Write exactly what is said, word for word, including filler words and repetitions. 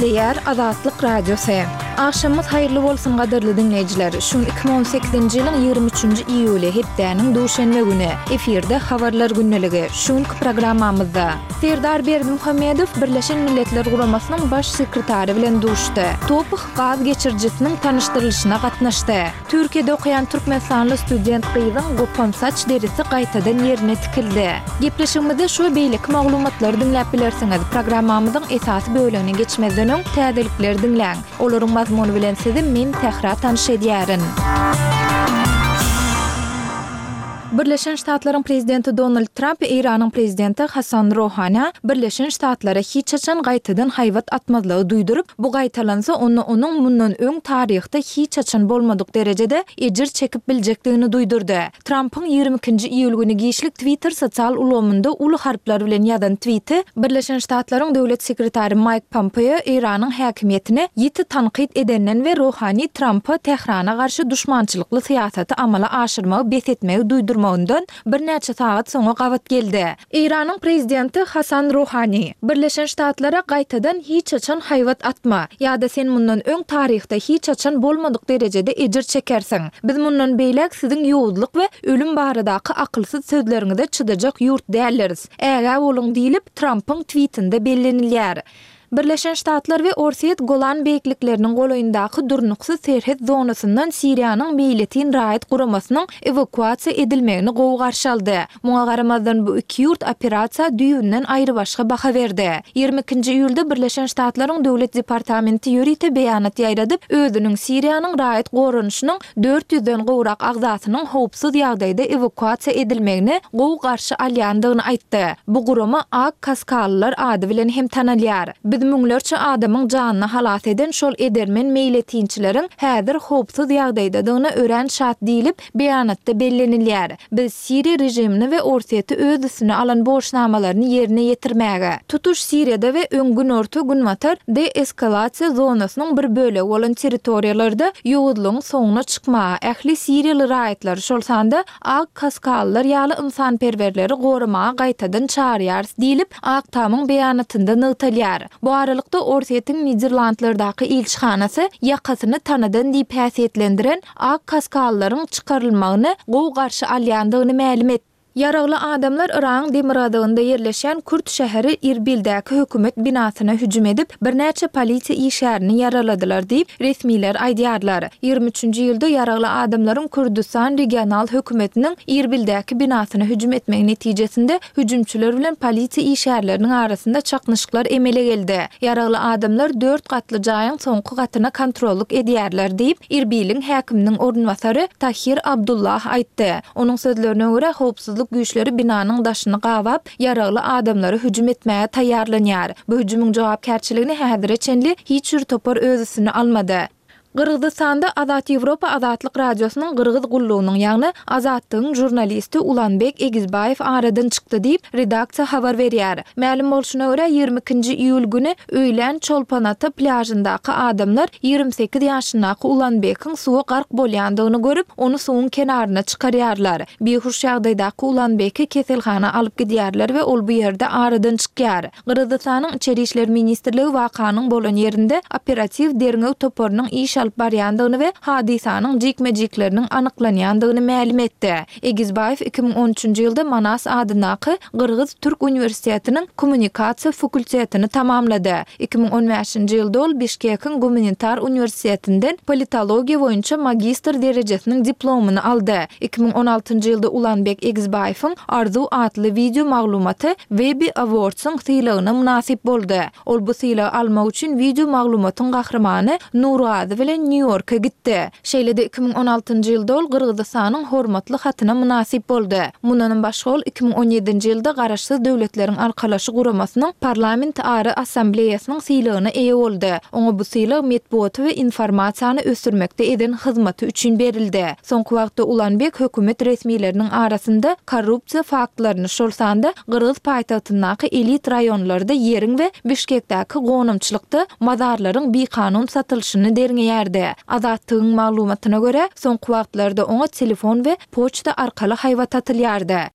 Gepleýär Azatlyk Radiosy. Agşamyňyz haýyrly bolsun gadyrly diňleýjiler. Şu gün iki müň on sekizinji ýylyň ýigrimi üçünji iýuly, hepdäniň duşenbe güni. Efirde Habarlar gündeligi. Şu günki programmamyzda Serdar Berdimuhamedow Birleşen Milletler Guramasynyň Baş sekretary bilen duşdy. Toph gaz geçirijisiniň tanyşdyrylyşyna gatnaşdy. Türkiýede okaýan türkmenistanly student gyzyň gopan saç derisi gaýtadan ýerine tikildi. Gepleşigimizde şu we beýleki maglumatlary diňläp bilersiňiz. Programmamyzyň esasy bölegine geçmezden öň, täzelikleri diňläň. Olaryň mazmuny bilen sizi men Sähra tanyş edýärin. Birleşen Ştatlaryň prezidenti Donald Tramp Eýranyň prezidenti Hasan Rohanä Birleşen Ştatlara hiç haçan gaýtadan haýbat atmazlygy duýduryp, bu gaýtalansa, onda onuň mundan öň taryhda hiç haçan bolmadyk derejede ejir çekip biljekdigini duýdurdy. Trampyň ýigrimi ikinji iýul güni giçlik Twitter sosial ulgamynda uly harplar bilen ýazan twiti Birleşen Ştatlaryň döwlet sekretary Maýk Pompeo Eýranyň häkimiýetini ýiti tankyt edenden we Rohani Trampa Tährana garşy duşmançylykly syýasaty amala aşyrmagy bes etmegi duýdurmagyndan birnäçe sagat soňa gabat geldi. Eýranyň prezidenti Hasan Rohani, Birleşen Ştatlara gaýtadan hiç haçan haýbat atma, ýa-da sen mundan öň taryhda hiç haçan bolmadyk derejede ejir çekersiň. Biz mundan beýläk siziň ýowuzlyk we ölüm baradaky akylsyz sözleriňize çydajak ýurt däldiris. Ägä boluň diýlip, Trampyň twitinde bellenilýär. Birleşen Ştatlar we Orsýet Golan beýiklikleriniň golaýyndaky durnuksyz serhet zonasyndan Siriýanyň meýletin raýat guramasynyň ewakuasiýa edilmegini gowy garşy aldy. Muňa garamazdan, bu iki ýurt operasiýa düýbünden aýrybaşga baha berdi. Ýigrimi ikinji iýulda Birleşen Ştatlaryň Döwlet departamenti ýörite beýanat ýaýradyp, özüniň Siriýanyň raýat goranyşynyň dört ýüzden gowrak agzasynyň howpsuz ýagdaýda ewakuasiýa edilmegini gowy garşy alýandygyny aýtdy. Bu gurama Ak kaskalylar ady bilen hem tanalýar. Biz müňlerçe adamyň janyny halas eden şol edermen meýletinçileriň häzir howpsuz ýagdaýdadygyna örän şat diýlip, beýanatda bellenilýär. Biz Siriýa režimini we Orsýeti öz üstüne alan borçnamalaryny ýerine ýetirmäge, tutuş Siriýada we öň Günorta-Günbatar deeskalasiýa zonasynyň bir bölegi bolan territoriýalarda ýowuzlygyň soňuna çykmaga, ähli siriýaly raýatlary, şol sanda ak kaskalylar ýaly ynsanperwerleri goramaga gaýtadan çagyrýarys diýlip, Ak Tamyň beýanatynda nygtalýar. Bu aralykda, Orsýetiň Niderlandlardaky ilçihanasy ýakasyny tanadan diýip häsiýetlendiren ak kaskalylaryň çykarylmagyny gowy garşy alýandygyny mälim etdi. Ýaragly adamlar Yragyň demirgazygynda ýerleşýän kürt şäheri Irbildäki hökümet binasyna hüjüm edip, birnäçe polisiýa işgärini ýaraladylar diýip, resmiler aýdýarlar. Ýigrimi üçünji iýulda ýaragly adamlaryň Kürdüstan regional hökümetiniň Irbildäki binasyna hüjüm etmegi netijesinde hüjümçiler bilen polisiýa işgärleriniň arasynda çaknyşyklar emele geldi. Ýaragly adamlar dört gatly jaýyň soňky gatyna kontrollyk edýärler diýip, Irbiliň häkiminiň orunbasary Tahir Abdullah aýtdy. Onuň sözlerine görä, howpsuzlyk güýçleri binanyň daşyny gabap, ýaragly adamlara hüjüm etmäge taýýarlanýar. Bu hüjümiň jogapkärçiligini häzire çenli hiç bir topar öz üstüne almady. Gyrgyzystanda Azat Ýewropa Azatlyk Radiosynyň Gyrgyz gullugynyň, ýagny Azatlygyň žurnalisti Ulanbek Egizbaýew aradan çykdy diýip, redaksiýa habar berýär. Mälim bolşuna görä, ýigrimi ikinji iýul güni öýlän Çolpan-Ata plýažyndaky adamlar ýigrimi sekiz ýaşyndaky Ulanbekiň suwa gark bolýandygyny görüp, ony suwuň kenaryna çykarýarlar. Bihuş ýagdaýdaky Ulanbeki keselhana alyp gidýärler we ol bu ýerde aradan çykýar. Gyrgyzystanyň Içeri işler ministrligi wakanyň bolan ýerinde operatiw derňew toparynyň iş alyp barýandygyny we hadysanyň jikme-jikleriniň anyklanýandygyny mälim etdi. Egizbaýew iki müň on üçünji ýylda Manas adyndaky Gyrgyz-türk uniwersitetiniň kommunikasiýa fakultetini tamamlady. Iki müň on bäşinji ýylda ol Bişkekiň gumanitar uniwersitetinden politologiýa boýunça magistr derejesiniň diplomyny aldy. Iki müň on altynjy ýylda Ulanbek Egizbaýewiň Arzuw atly wideo maglumaty Webby Awards-yň sylagyna mynasyp boldy. Ol bu sylagy almak üçin wideo maglumatyň gahrymany Nurgazy bilen Nýu-Ýorka gitdi. Şeýle-de iki müň on altynjy ýylda ol Gyrgyzystanyň hormatly hatyna mynasyp boldy. Mundanam başga ol iki müň on ýedinji ýylda Garaşsyz Döwletleriň Arkalaşy Guramasynyň Parlamentara Assambleýasynyň sylagyna eýe boldy. Oňa bu sylag metbugaty we informasiýany ösdürmekde eden hyzmaty üçin berildi. Soňky wagtda Ulanbek hökümet resmileriniň arasynda korrupsiýa faktlaryny, şol sanda gyrgyz paýtagtyndaky elit raýonlarda ýeriň we Bişkekdäki gonamçylykda mazarlaryň bikanun satylyşyny derňeýärdi. Azattygyň maglumatyna görä, soňky wagtlarda oňa telefon we poçta arkaly haýbat atylýardy.